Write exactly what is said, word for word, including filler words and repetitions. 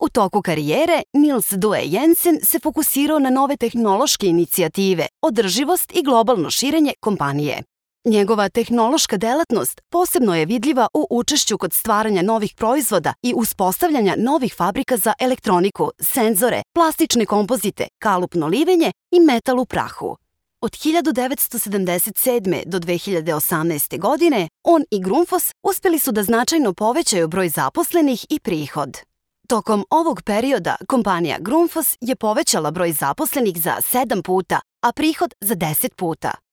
U toku karijere, Niels Due Jensen se fokusirao na nove tehnološke inicijative, održivost i globalno širenje kompanije. Njegova tehnološka delatnost posebno je vidljiva u učešću kod stvaranja novih proizvoda i uspostavljanja novih fabrika za elektroniku, senzore, plastične kompozite, kalupno livenje i metal u prahu. Od hiljadu devetsto sedamdeset sedme. do dve hiljade osamnaeste. godine on i Grundfos uspeli su da značajno povećaju broj zaposlenih i prihod. Tokom ovog perioda kompanija Grundfos je povećala broj zaposlenih za sedam puta, a prihod za deset puta.